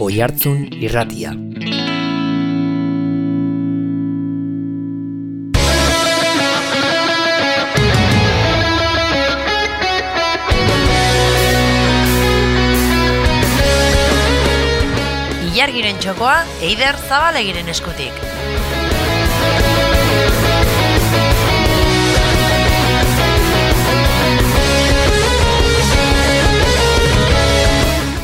Oihartzun Irratia. Ilargiren txokoa Eider Zabalegiren eskutik.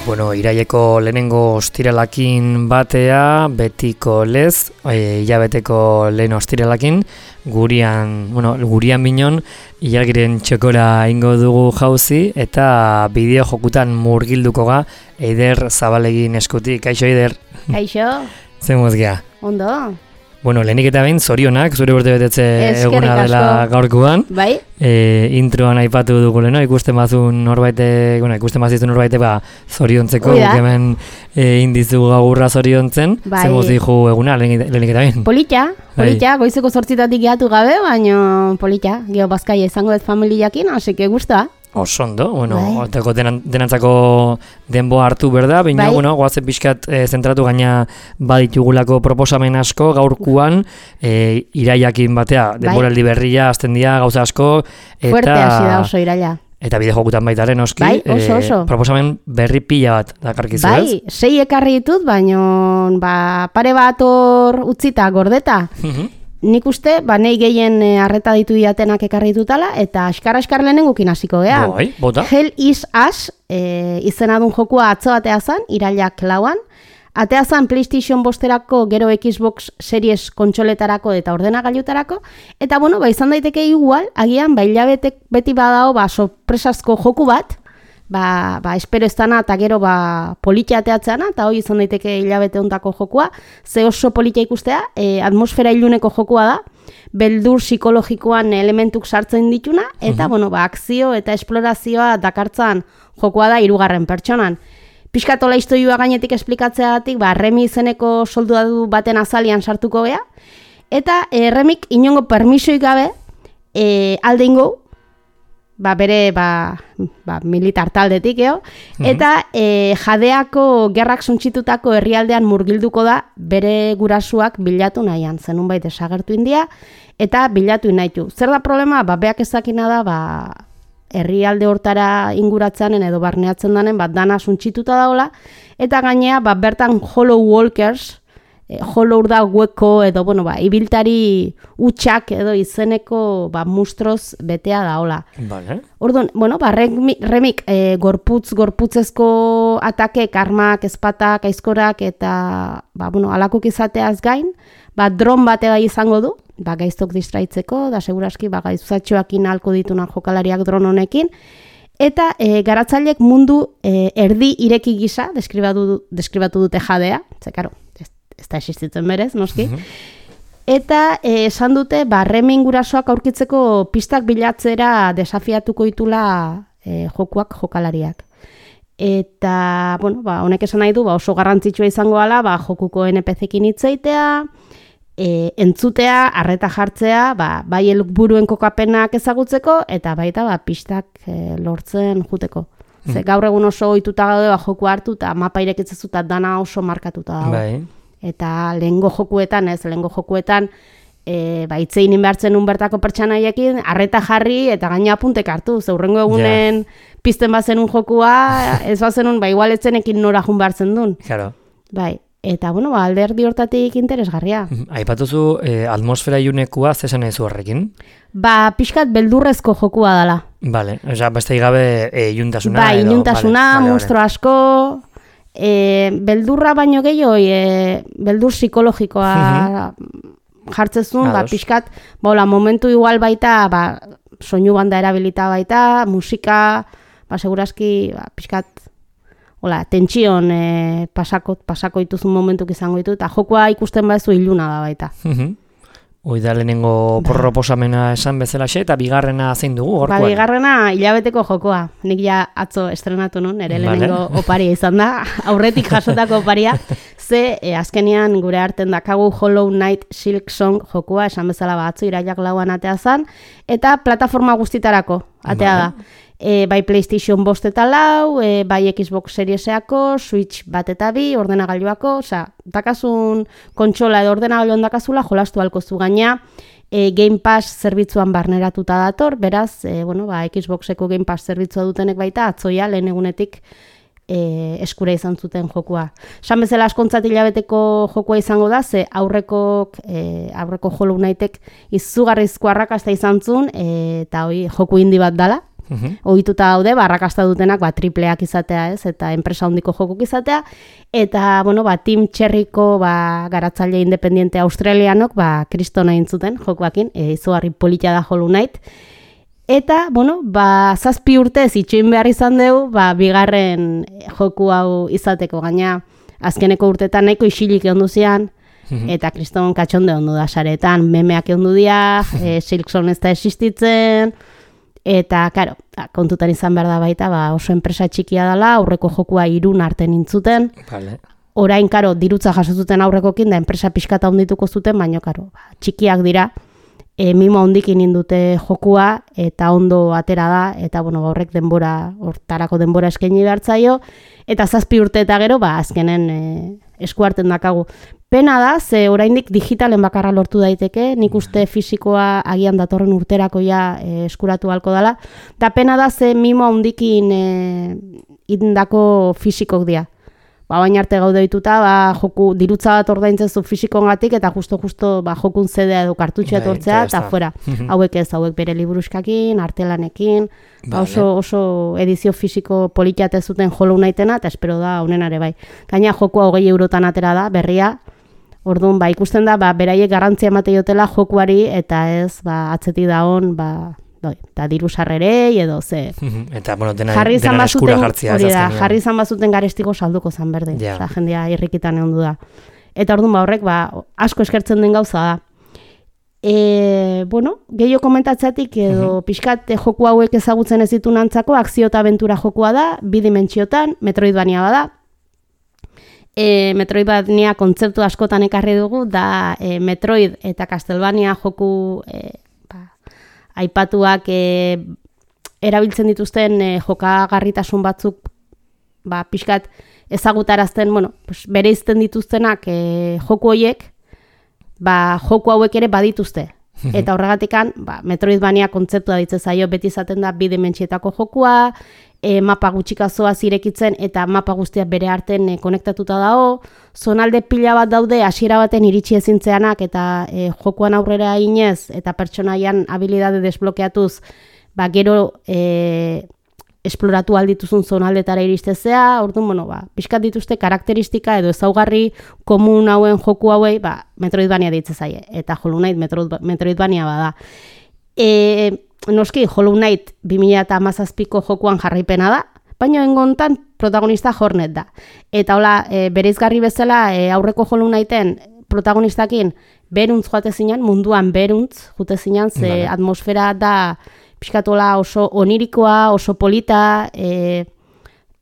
Bueno, iraileko lehenengo ostiralakin batea, betiko lez, hilabeteko lehen ostiralakin, gurian binon, ilargiren txokora ingo dugu jauzi, eta bideo jokutan murgilduko ga Eider Zabalegin eskutik. Kaixo, Eider? Kaixo. Zen mozgea? Ondo. Bueno, lehenik eta behin, zorionak, zure urte betetze eguna dela gaurkoan. Bai. Introan aipatu dugu leheno, ikusten bazizun norbaite, zoriontzeko, guk hemen indizu gagurra zoriontzen. Bai. Zer mozihu eguna, lehenik eta behin? Polita, goizeko 8:00 gehatu gabe, baina polita, geho bazkaia izango dut familiakin, haseke guztua. Osondo, oteko denantzako denbo hartu berda, baina, goazen pixkat zentratu gaina baditugulako proposamen asko, gaurkuan, iraiakin batea, denboraldi berria, azten dira, gauza asko, eta... Fuerte hasi da oso iraila. Eta bide jokutan baitaren, oski, oso. Proposamen berri pila bat dakarkizu, ez? Bai, 6 ekarri ditut, baina pare bat hor utzita gordeta. Nik uste, nahi gehien arreta ditu diatenak ekarri ditutala, eta askar lehenengukin hasiko gea. Bai, bota. Hell is Us izena dun jokua atzo atea zan, irailak 4an. Atea zan PlayStation 5erako, gero Xbox Series kontsoletarako eta ordenagailutarako. Eta izan daiteke igual, agian, hilabetek beti badao, sorpresazko joku bat, espero ez dana, eta gero politia ateatzeana, eta hoi izan daiteke hilabete hontako jokua, ze oso politia ikustea, atmosfera iluneko jokua da, beldur psikologikoan elementuk sartzen dituna, eta akzio eta esplorazioa dakartzan jokua da 3. pertsonan. Piskatola historioa gainetik esplikatzeagatik, Remi izeneko soldadu baten azalian sartuko gea, eta Remik inongo permisoik gabe alde ingo, bere militar taldetik, eta jadeako gerrak suntsitutako herrialdean murgilduko da bere gurasuak bilatu nahian, zenunbait desagertu india, eta bilatu nahitu. Zer da problema? Beak ezakina da, herrialde hortara inguratzen edo barneatzen danen, dana suntsituta daola, eta gainea, bertan Hollow Walkers, Hollow da hueko edo, ibiltari utxak edo izeneko mustroz betea daola. Vale. Orduan, Remik gorputzezko atakek, armak, ezpatak, aizkorak eta, alakuk izateaz gain, dron bate izango du, gaiztok distraitzeko, da seguraski gaizuzatxoakin halko ditunak jokalariak dron honekin, eta garatzaileek mundu erdi ireki gisa deskribatu dute jadea, zekaro, ez da existitzen berez, noski. Eta esan dute, Remin gurasoak aurkitzeko pistak bilatzera desafiatuko ditula jokalariak. Eta, honek esan nahi du, oso garrantzitsua izango ala, jokuko NPC-ekin hitzeitea, entzutea, arreta jartzea, bai helburuen kokapenak ezagutzeko, eta baita pistak lortzen juteko. Ze gaur egun oso ohituta gaude joku hartu, eta mapa irekitzezuta dana oso markatuta dago. Bai. Eta lehengo jokuetan, itzein inbertzen bertako pertsanaiekin, arreta jarri eta gaina apuntek hartu. Zeurrengo egunen pizten bazenun jokua, ez bazenun, igual etzenekin nora jun behartzen duen. Claro. Bai, eta alderdi hortatik interesgarria. Aipatuzu atmosfera ilunekua zesan ezu horrekin? Pixkat beldurrezko jokua dela. Vale, beste gabe iluntasuna. Bai, iluntasuna, monstro asko... beldurra baino gehiago, beldur psikologikoa jartzezun, pixkat, momentu igual baita, soinu banda erabilita baita, musika, seguraski, pixkat, tentsion pasako dituzun momentuk izango ditu, eta jokua ikusten badezu iluna da baita. Hoi da lehenengo proposamena esan bezalaxe, eta bigarrena zein dugu, gorkoan? Bigarrena hilabeteko jokoa. Nik ja atzo estrenatu nun, ere lehenengo oparia izan da, aurretik jasotako oparia. Ze, azkenian gure arten dakagu Hollow Knight Silk Song jokoa, esan bezala atzo irailak 4an atea zan, eta plataforma guztitarako atea da. bai PlayStation 5 eta 4, bai Xbox Serieseako, Switch 1 eta 2, ordenagailuako, dakasun kontsola edo ordenagailuan dakazula jolastu halko zu gaina, Game Pass zerbitzuan barneratuta dator, beraz, Xboxeko Game Pass zerbitzua dutenek baita, atzoia lehen egunetik eskura izan zuten jokua. Esan bezala askontzat hilabeteko jokua izango da, ze aurreko Hollow Knightek izugarrizko arrakasta izan zuen, eta joku indi bat dala. Ohituta daude, arrakasta dutenak tripleak izatea, ez, eta enpresa handiko jokuk izatea, eta Team Cherryko garatzaile independiente australianok kriston egin zuten jokuakin, izugarri polita da Hollow Knight. Eta, 7 urtez itxoin behar izan dugu, bigarren joku hau izateko, gaina azkeneko urtetan nahiko isilik egon duzian, eta kriston katxonde ondu da saretan, memeak egon du dia, Silksong ez da existitzen, eta, karo, kontutan izan behar da baita, oso enpresa txikia dela, aurreko jokua 3 arte nintzuten, orain, karo, dirutza jasozuten aurrekokin, da enpresa pixkata ondituko zuten, baina, karo, txikiak dira, mimo hondikin indute jokua eta ondo atera da, eta horrek hortarako denbora eskaini behartzaio, eta 7 urte eta gero, azkenen eskuarten dakagu. Pena da, ze oraindik digitalen bakarra lortu daiteke, nik uste fisikoa agian datorren urterako eskuratu halko dela, eta pena da, ze mimo hondikin indako fisikok dira. Baina arte gaude dituta, joku dirutza bat ordaintzen zu fisikongatik eta justo jokun zedea edo kartutxea etortzea eta fuera. Hauek bere liburuskakin, artelanekin, oso edizio fisiko politiate zuten Hollow Knightena eta espero da honenare bai. Gaina jokua 20 eurotan atera da, berria, orduan ikusten da, beraiek garrantzia emate jotela jokuari eta ez atzetik daon, eta diru sarrerei edo ze. Eta, dena eskura jartzia. Hori da, jarri izan bazuten garestiko salduko zan berdin. Jendea irrikitan egon du da. Eta orduan horrek, asko eskertzen den gauza da. Gehiago komentatzeatik edo pixkat joku hauek ezagutzen ez ditu nantzako, akzio eta abentura jokua da, 2 dimentsiotan, Metroidvania bada. Metroidvania kontzeptu askotan ekarri dugu, da Metroid eta Castlevania joku aipatuak erabiltzen dituzten jokagarritasun batzuk pixkat ezagutarazten, bereizten dituztenak joku horiek, joku hauek ere badituzte. Eta horregatikan, Metroidvania kontzeptua ditze zaio, beti izaten da 2 dimentsietako jokua, mapa gutxikazoa zirekitzen eta mapa guztiak bere arten konektatuta dago, zonalde pila bat daude hasiera baten iritsi ezintzeanak eta jokuan aurrera inez eta pertsonaian habilidade desblokeatuz, gero esploratu aldituzun zonaldetara iristezea, orduan, pixkat dituzte karakteristika edo ezaugarri komun hauen joku hauei, Metroidvania ditze zaie, eta Hollow Knight Metroidvania bada. Noski, Hollow Knight 2017ko jokuan jarraipena da, baina engontan protagonista Hornet da. Eta hola, bereizgarri bezala aurreko Hollow Knighten protagonistakin beruntz joate zinan, munduan beruntz joate zinan, ze atmosfera da pixkatola oso onirikoa, oso polita,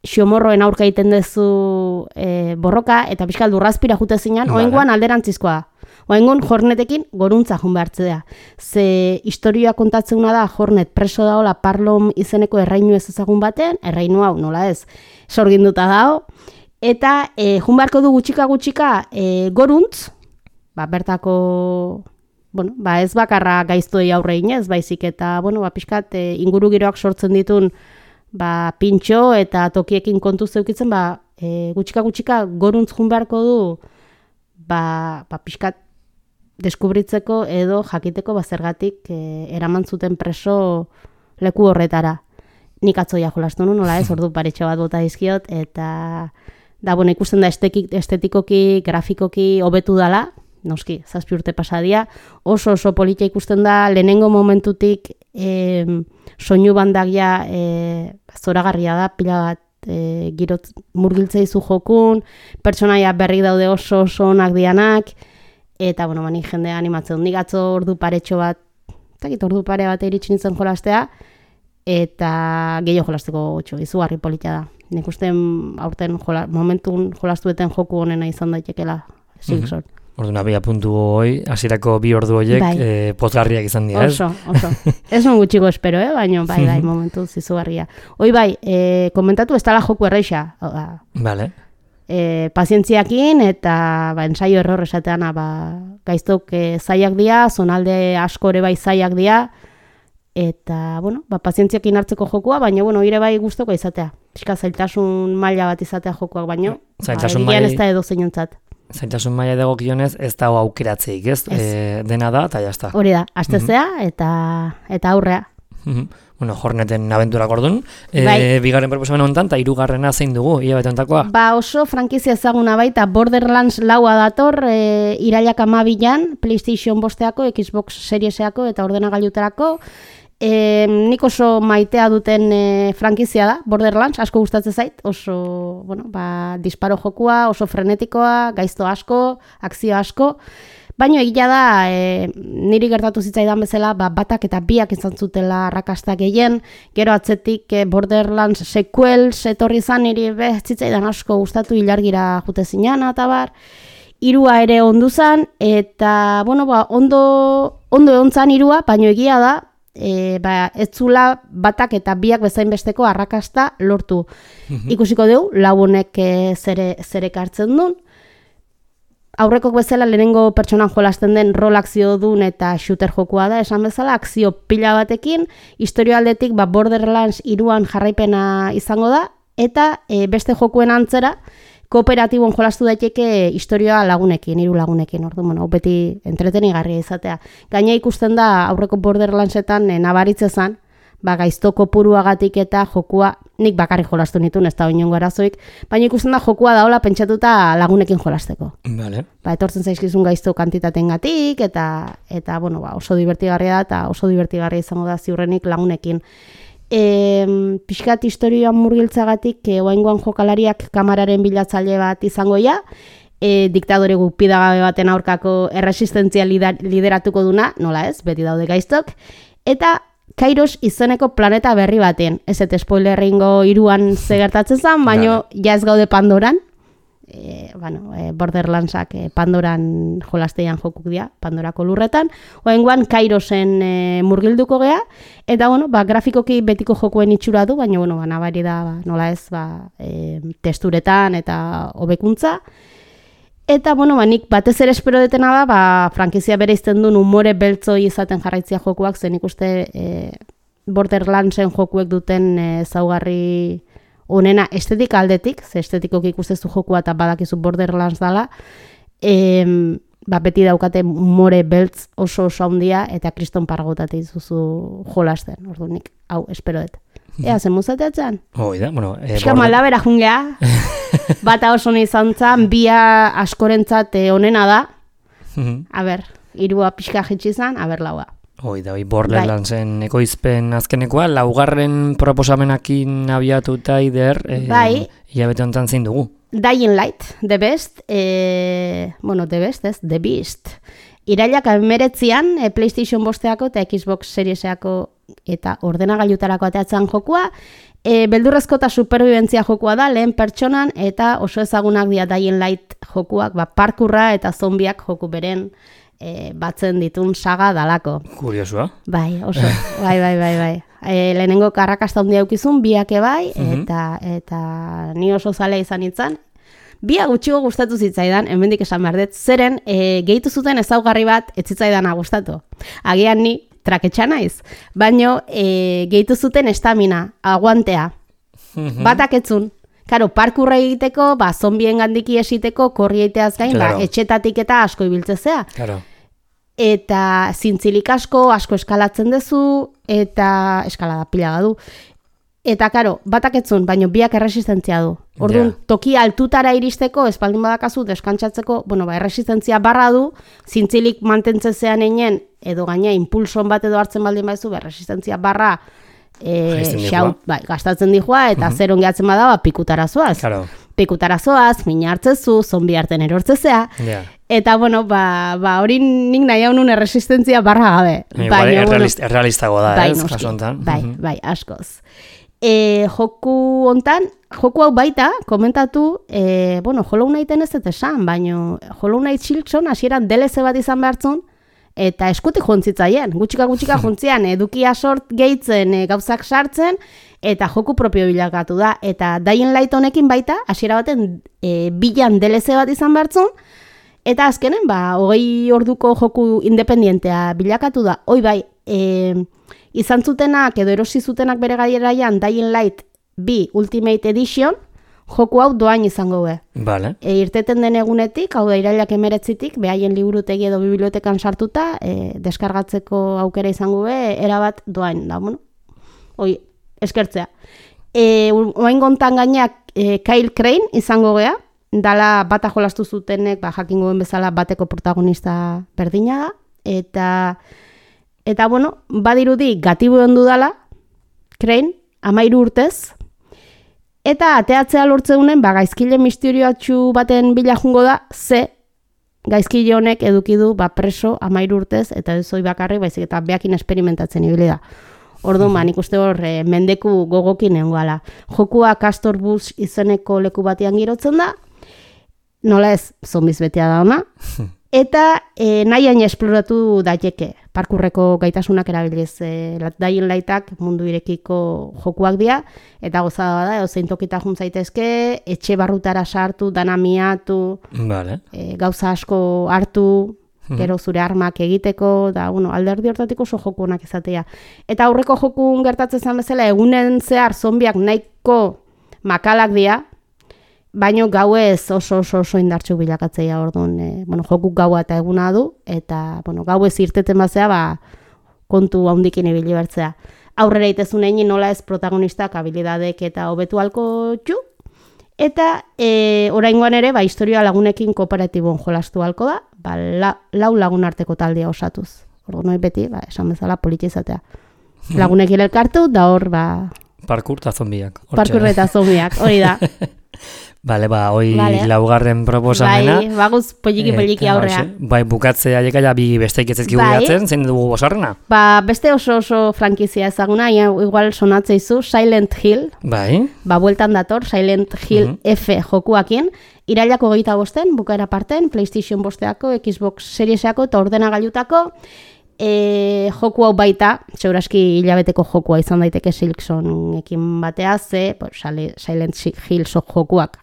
xomorroen aurka egiten dezu borroka, eta pixkat lurrazpira joate zinan, oengoan alderantzizkoa da. Oengon, Hornetekin goruntza joan behartzea. Ze historioa kontatzeuna da, Hornet preso daola Parlom izeneko errainu ez ezagun baten, errainu hau nola ez, sorginduta dao, eta joan beharko du gutxika goruntz, bertako, ez bakarra gaiztoi aurre inez, baizik eta, pixkat inguru giroak sortzen ditun, pintxo eta tokiekin kontu zeukitzen, gutxika goruntz joan beharko du, pixkat deskubritzeko edo jakiteko zergatik eraman zuten preso leku horretara. Nik atzoia jolastu nu, nola ez, ordu paretxo bat bota dizkiot, eta ikusten da estetikoki, grafikoki hobetu dala, noski, 7 urte pasadia, oso polita ikusten da, lehenengo momentutik soinu bandagia zoragarria da, pila bat girot murgiltzea izu jokun, pertsonaia berri daude oso onak dianak, eta, nik jendea animatzen. Nik atzo ordu paretxo bat, ordu pare bat iritsi nintzen jolastea, eta gehiago jolasteko gutxo, izugarri polita da. Nik uste aurten momentun jolastueten joku honena izan daitekela Silksong. Orduan, abia puntu hoi, hasierako 2 ordu horiek pozgarriak izan dira, ez? Oso. Ez non gutxiko espero, baina bai, momentu zizugarria. Hoi bai, komentatu ez dala joku erreixa. Vale. Pazientziakin eta ensaio error esatean gaiztok zaiak dira, zonalde askore bai zaiak dira, eta, pazientziakin hartzeko jokua, baina, ire bai guztoko izatea. Piska zailtasun maila bat izatea jokuak, baina, egian ez da edo zeinontzat. Zailtasun maila dagokionez ez dago aukeratzeik, ez? Dena da, eta jazta. Hori da, astezea eta aurrea. Horneten abenturak orduan. Bigarren proposamen honetan, eta 3. zein dugu, hilabete honetakoa? Oso frankizia ezaguna baita, Borderlands 4 dator, irailak 12an, PlayStation 5-eako, Xbox Serieseako eta ordenagailutarako. Nik oso maitea duten frankizia da, Borderlands, asko gustatzen zait, oso, disparo jokua, oso frenetikoa, gaizto asko, akzio asko, baina egia da, niri gertatu zitzaidan bezala, batak eta biak izan zutela arrakasta gehien, gero atzetik Borderlands sequels etorri izan, niri zitzaidan asko gustatu ilargira jute zinana eta bar, 3 ere ondu zan, eta, ondo egon zan 3, baina egia da, ez zula batak eta biak bezain besteko arrakasta lortu. Ikusiko dugu, lagunek zerek hartzen duen. Aurrekok bezala lehenengo pertsonan jolasten den rol akzio duen eta shooter jokua da, esan bezala, akzio pila batekin, historio aldetik Borderlands 3an jarraipena izango da, eta beste jokuen antzera, kooperatibon jolastu daiteke historioa lagunekin, 3 lagunekin, orduan, beti entretenigarria izatea. Gaina ikusten da aurreko Borderlandsetan nabaritzezan, gaizto kopuruagatik eta jokua, nik bakarrik jolastu nituen, ez da inongo arazoik, baina ikusten da jokua daola pentsatuta lagunekin jolasteko. Vale. Etortzen zaizkizun gaizto kantitatengatik eta oso divertigarria da eta oso divertigarria izango da ziurrenik lagunekin. Pixkat historioan murgiltzagatik oraingoan jokalariak kamararen bilatzaile bat izango ja, diktadore gupidagabe baten aurkako erresistentzia lideratuko duna, nola ez, beti daude gaiztok, eta Kairos izeneko planeta berri baten, ez eta spoilerringo 3an zegertatzen zen, baina ja ez gaude Pandoran, Borderlandsak Pandoran jolasteian jokuk dira, Pandorako lurretan, oraingoan Kairosen murgilduko gea, eta grafikoki betiko jokuen itxura du, baina nabari da, nola ez, testuretan eta hobekuntza. Eta nik batez ere espero detena da, frankizia bere izten duen umore beltzoi izaten jarraitzia jokuak, zen ikuste Borderlandsen jokuek duten zaugarri honena estetika aldetik, ze estetikoki ikustezu jokua eta badakizu Borderlands dala, beti daukate umore beltz oso handia eta kriston pargotatik zuzu jolasten, orduan nik, hau, espero dut. Zen muzateatzen? Oida, Piska maldabera jungea, bata oso izan zan, bia askorentzat onena da, a ber, 3 pixka jetxi zan, a ber, 4. Oida, Borderlandsen ekoizpen azkenekoa, 4. proposamenakin abiatuta ider, hilabete honetan zein dugu. Dying Light, The Best, The Best ez, The Beast. Irailak 19an PlayStation 5-eako eta Xbox Serieseako eta ordenagailutarako ateatzen jokua, beldurrezko eta superbibentzia jokua da, lehen pertsonan eta oso ezagunak dira Dying Light jokuak, parkurra eta zombiak joku beren batzen ditun saga dalako. Kuriosua. Bai, oso, bai. Lehenengo karrakasta handia aukizun, biake bai, eta ni oso zalea izan nintzen. Bia gutxigo gustatu zitzaidan, hemendik esan behar dut, zeren gehitu zuten ezaugarri bat ez zitzaidana gustatu. Agian ni traketxa naiz, baino gehitu zuten estamina, aguantea. Batak etzun. Karo, parkurra egiteko, zombien gandiki esiteko, korri egiteaz gain, etxetatik eta asko ibiltzezea. Claro. Eta zintzilik asko eskalatzen dezu, eta eskalada pila du. Eta, karo, batak etzun, baino biak erresistentzia du. Orduan, toki altutara iristeko, espaldin badakazu, deskantzatzeko, erresistentzia barra du, zintzilik mantentzezean einen, edo gaina impulson bat edo hartzen baldin baizu, erresistentzia barra gastatzen dihua, eta zer ongeatzen bada, pikutara zoaz. Claro. Pikutara zoaz, mina hartzezu, zombi hartzen erortzezea, eta, hori nik nahi hau nun erresistentzia barra gabe. Errealistago da, ez? Bai, askoz. joku hontan, joku hau baita, komentatu, Hollow Knighten ez esan, baina Hollow Knight Silksong hasieran DLC bat izan behartzun, eta eskutik jontzitzaien, gutxika jontzian, edukia sort gehitzen, gauzak sartzen, eta joku propio bilakatu da. Eta Dying Light honekin baita, hasiera baten bilan DLC bat izan behartzun, eta azkenen, 20 orduko joku independientea bilakatu da. Hoi bai, izan zutenak edo erosi zutenak bere garaian Dying Light 2 Ultimate Edition, joku hau doain izango be. Vale. Irteten den egunetik, hau da irailak 19tik, behaien liburutegi edo bibliotekan sartuta, deskargatzeko aukera izango be, erabat doain. Da, eskertzea. Oain gontan gainak Kyle Crane izango gea, dala bata jolastu zutenek, jakingoen bezala bateko protagonista berdina da, eta badirudi gatibu ondu dala, Crane, 13 urtez, eta ateatzea lortzeunen, gaizkile misterioatxu baten bila jungo da, gaizkile honek edukidu preso 13 urtez, eta ez hoi bakarrik, baizik eta beakin esperimentatzen ibili da. Orduan, nik uste hor, mendeku gogokin nengoala. Jokua Castor Bush izeneko leku batean girotzen da, nola ez, zombiz betea da ona, eta nahiain esploratu daiteke. Parkurreko gaitasunak erabiliz, Dying Lightak mundu irekiko jokuak dira, eta gozada da, zein tokita juntzaitezke, etxe barrutara sartu, dana miatu, gauza asko hartu, gero zure armak egiteko, da, alderdi hortatik oso joku honak izatea. Eta aurreko jokun gertatzen zen bezala, egunen zehar zombiak nahiko makalak dira, baina gauez oso indartxuk bilakatzea orduan, joku gaua eta eguna du, eta gauez irteten bazea, kontu handikin ibili bertzea. Aurrera itezun egin nola ez protagonistak habilidadek eta hobetu halko txu, eta oraingoan ere, historia lagunekin kooperatibon jolastu halko da, lau lagun arteko taldea osatuz. Orduan beti, esan bezala politizatea. Lagunekin elkartu, da hor, Parkur eta zombiak. Parkur eta zombiak, hori da. Bale, hoi laugarren proposamena. Baguz poliki aurrea. Bukatzea jekaia bi besteik ez ezkigu gehatzen, zein dugu bosarrena? Beste oso frankizia ezaguna, igual sonatzeizu, Silent Hill. Bueltan dator, Silent Hill F jokuakin. Irailako 25, bukaera parten, PlayStation 5, Xbox Serieseako eta ordenagailutako. Joku hau baita, seguraski hilabeteko jokua izan daiteke Silksonekin batea, Silent Hill jokuak,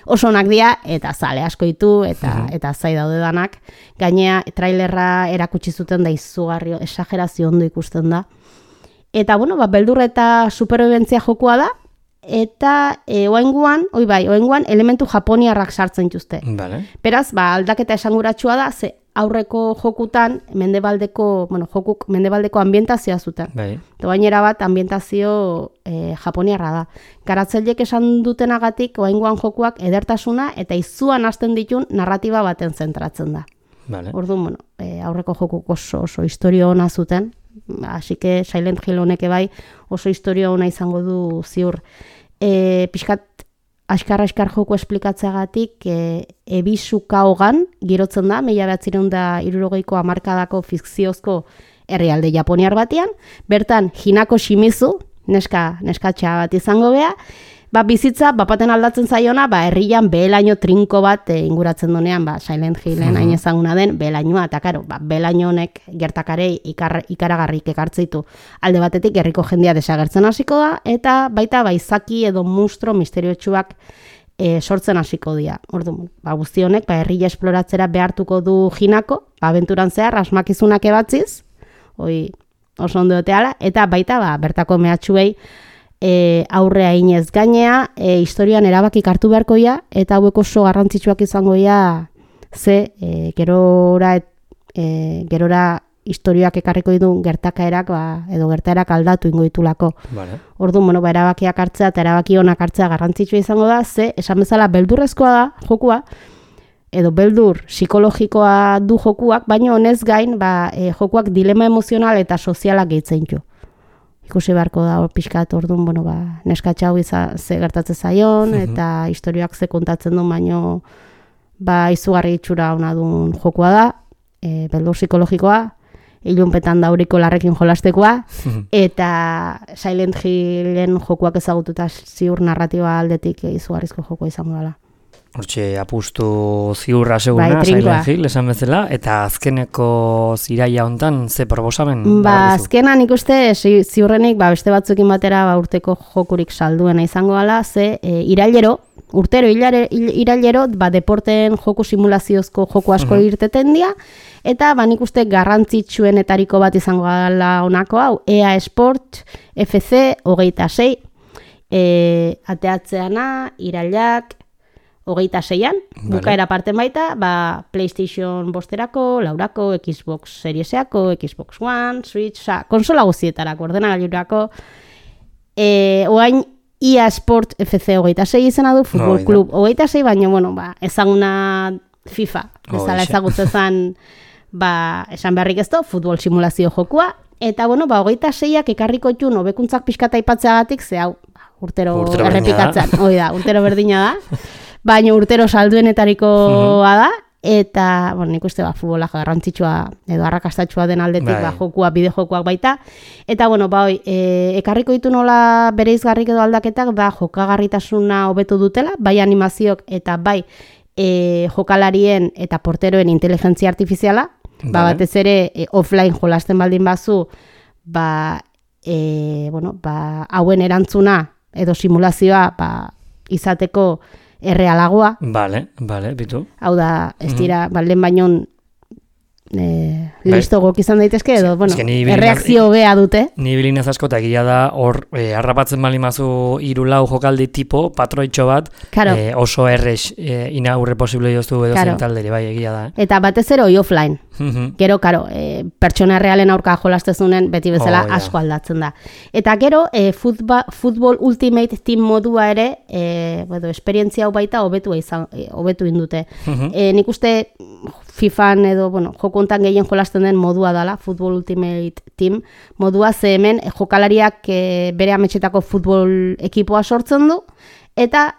oso onak dira, eta zale asko ditu, eta zai daude danak. Gainea, trailerra erakutsi zuten da izugarri, esagerazio ondo ikusten da. Eta, beldur eta superviventzia jokua da, eta oainguan elementu japoniarrak sartzen dituzte. Beraz, aldaketa esanguratsua da, aurreko jokutan jokuk mendebaldeko ambientazioa zuten. Eta gainera bat ambientazio japoniarra da. Garatzailek esan dutenagatik oaingoan jokuak edertasuna eta izuan hasten ditun narratiba baten zentratzen da. Orduan, aurreko jokuk oso historia ona zuten, así que Silent Hill honek bai oso historia ona izango du ziur. Pixkat askar joku esplikatzeagatik Ebisuka hogan girotzen da, 1960ko hamarkadako fikziozko herrialde japoniar batean, bertan Hinako Shimizu, neskatxa bat izango bea, bizitza bapaten aldatzen zaiona, herrian behelaino trinko bat inguratzen donean, Silent Hillen hain ezaguna den behelainoa, eta karo, behelaino honek gertakarei ikaragarrik ekartzeitu. Alde batetik herriko jendia desagertzen hasiko da, eta baita izaki edo monstro misteriotsuak sortzen hasiko dira. Orduan, guzti honek, herria esploratzera behartuko du Hinako, abenturan zehar, asmakizunak ebatziz, oso ondo doteala, eta baita bertako mehatxuei aurrea inez gainea, historian erabakik hartu beharko ia, eta hauek oso garrantzitsuak izango ia, gerora historiak ekarriko ditu gertakaerak, edo gertaerak aldatu ingo ditulako. Orduan, erabakiak hartzea eta erabaki honak hartzea garrantzitsua izango da, esan bezala beldurrezkoa da jokua, edo beldur psikologikoa du jokuak, baina honez gain, jokuak dilema emozional eta sozialak gehitzen ditu. Ikusi beharko da pixkat orduan, neskatxa hau ze gertatzen zaion, eta historiak ze kontatzen duen, baino izugarri itxura ona duen jokua da, beldur psikologikoa, ilunpetan dauriko larrekin jolastekoa, eta Silent Hillen jokuak ezagututa ziur narratiba aldetik izugarrizko jokoa izango dela. Hortxe, apustu ziurra seguna, Silent Hill, esan bezala, eta azkeneko ziraia hontan ze proposamen? Azkenan ikuste ziurrenik beste batzukin batera urteko jokurik salduena izango dela, ze irailero deporten joku simulaziozko joku asko irteten dira, eta nik uste garrantzitsuenetariko bat izango dela honako hau, EA Sport FC 26, ateatzeana, irailak, 26an, bukaera parten baita, PlayStation 5erako, 4erako, Xbox Serieseako, Xbox One, Switch, konsola guztietarako, ordenagailurako. Oain EA Sport FC 26 izena du, Futbol Club 26, baina, ezaguna FIFA, bezala ezagutzezan, esan beharrik ez du, futbol simulazio jokua, eta, 26ak ekarriko txun, hobekuntzak pixkata ipatzeagatik, ze hau, urtero errepikatzen, urtero berdina da, baina urtero salduenetarikoa da, eta, nik uste futbola garrantzitsua edo arrakastatxua den aldetik jokuak, bide-jokuak baita, eta, ekarriko ditu nola bereizgarrik edo aldaketak, jokagarritasuna hobetu dutela, bai animaziok eta bai jokalarien eta porteroen inteligentzia artifiziala, batez ere offline jolasten baldin bazu, hauen erantzuna edo simulazioa izateko errealagoa. Bitu. Hau da, ez dira, lehen bainon listo gok izan daitezke, edo, erreakzio bea dute. Ni bilinez asko eta egia da, hor, harrapatzen balimazu 3-4 jokaldi tipo, patroitxo bat, oso errex inaurre posible joztu edo zen talderi, egia da. Eta batez ero offline. Gero, pertsona realen aurka jolastezunen beti bezala asko aldatzen da. Eta gero, Football Ultimate Team modua ere, esperientzia hau baita hobetu indute. Nik uste FIFAn edo, joko hontan gehien jolasten den modua dela, Football Ultimate Team modua, ze hemen jokalariak bere ametxetako futbol ekipoa sortzen du, eta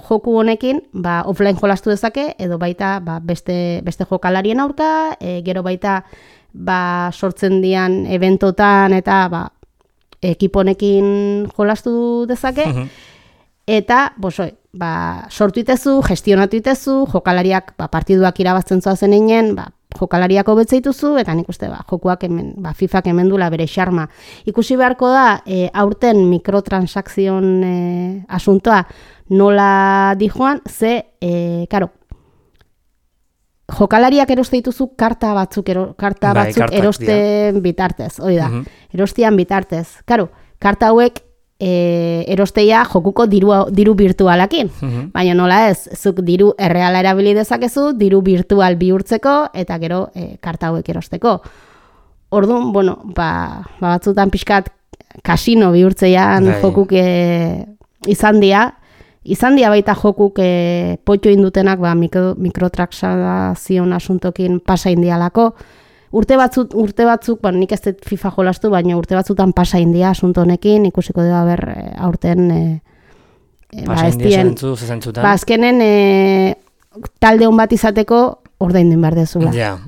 joku honekin offline jolastu dezake, edo baita beste jokalarien aurka, gero baita sortzen dian eventotan eta ekipo honekin jolastu dezake, eta sortu itezu, gestionatu itezu, jokalariak partiduak irabazten zoazen einen, jokalariak hobetzeituzu, eta nik uste jokuak hemen, FIFak hemen dula bere xarma. Ikusi beharko da, aurten mikrotransakzion asuntoa nola dijoan, ze, jokalariak eroste dituzu karta batzuk erosten bitartez, erostian bitartez. Karta hauek erosteia jokuko diru virtualakin. Baina nola ez, zuk diru erreala erabili dezakezu, diru virtual bihurtzeko, eta gero karta hauek erosteko. Orduan, batzutan pixkat kasino bihurtzean jokuk izan dia baita jokuk potxo indutenak mikrotransakzion asuntokin pasa indialako. Urte batzuk, nik ez dut FIFA jolastu, baina urte batzutan pasa india asunto honekin, ikusiko dira aurten azkenen talde hon bat izateko ordaindu behar dezula. Ja.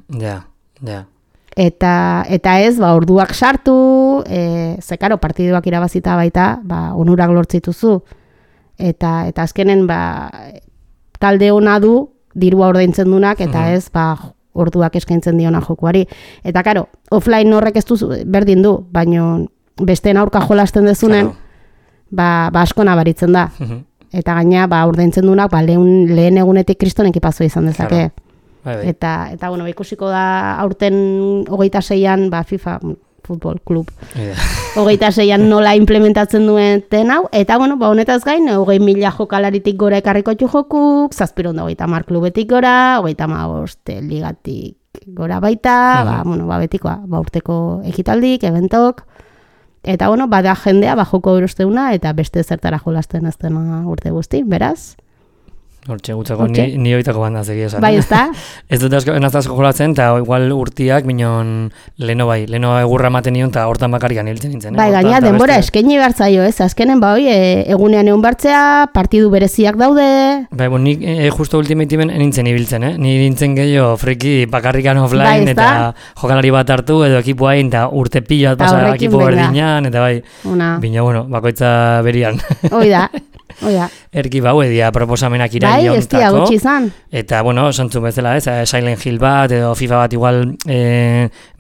Eta ez, orduak sartu, partiduak irabazita baita, onurak lortzituzu. Eta azkenen talde hona du, dirua ordaintzen dunak, eta ez, orduak eskaintzen diona jokuari. Eta, offline horrek ez du berdin du, baina besteen aurka jolasten dezunen, asko nabaritzen da. Eta gaina, ordaintzen dunak, lehen egunetik kriston ekipazua izan dezake. Eta, ikusiko da aurten 26an, FIFA Futbol Club 26an nola implementatzen duen hau, eta honetaz gain 20.000 jokalaritik gora ekarriko jokuk, 750 klubetik gora, 35 ligatik gora baita, betikoa, urteko ekitaldik, eventok, eta bada jendea joko erosteuna eta beste zertara jolasten ez dena urte guzti, beraz? Hortxe, gutzako ni oitako banda zegi esan. Bai, ez da? Ez dut asko jolatzen, eta igual urtiak, minon leno egurra ematen nion, eta hortan bakarrikan hiltzen nintzen. Bai, gaina, denbora eskaini behartzaio, ez? Azkenen, bai, egunean egun bartzea, partidu bereziak daude. Bai, nik justo Ultimate-imen nintzen ibiltzen, Ni nintzen gehiago friki bakarrikan offline, bai, eta jokalari bat hartu, edo ekipo hain, eta urte pila bat pasa ekipo berdinean, eta bai, bina, bueno, bakoitza berian. Oida. Erki bau edia proposamenak iraiontako. Bai, ez dia gutxi izan. Eta, bueno, santzun bezala, Silent Hill bat, edo FIFA bat igual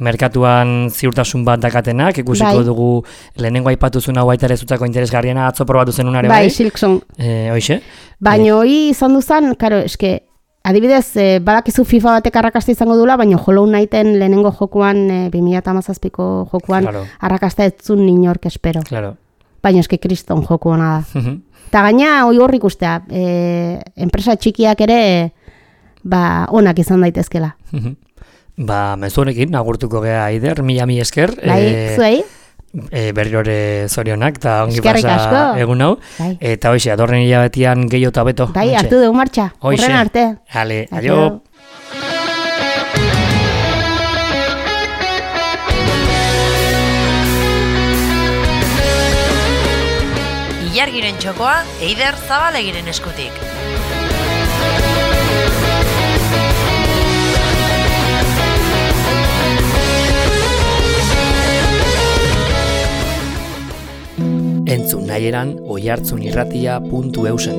merkatuan ziurtasun bat dakatenak, ikusiko dugu lehenengo aipatuzun hau baita ere zutzako interesgarriena atzo probatu zenunare bai. Bai, Silksong. Hoixe? Baina hori izan duzan, karo, eske, adibidez, badakizu FIFA batek arrakasta izango dula, baina Hollow Knighten lehenengo jokuan, 2017ko jokuan, arrakasta ez zun inork espero. Claro. Baina eske kriston joku hona da. Eta gaina, hori hor ikustea, enpresa txikiak ere, onak izan daitezkela. Mezu honekin, agurtuko gea Aider, mila esker. Bai, zuei? Berriore zorionak, eta ongi pasa egun hau. Eta hoxe, adorren hilabetian gehiago eta beto. Bai, hartu dugu martxa, horren arte. Ale, adio. Ilargiren txokoa, Eider Zabalegiren eskutik. Entzun nahieran oihartzunirratia.eusen.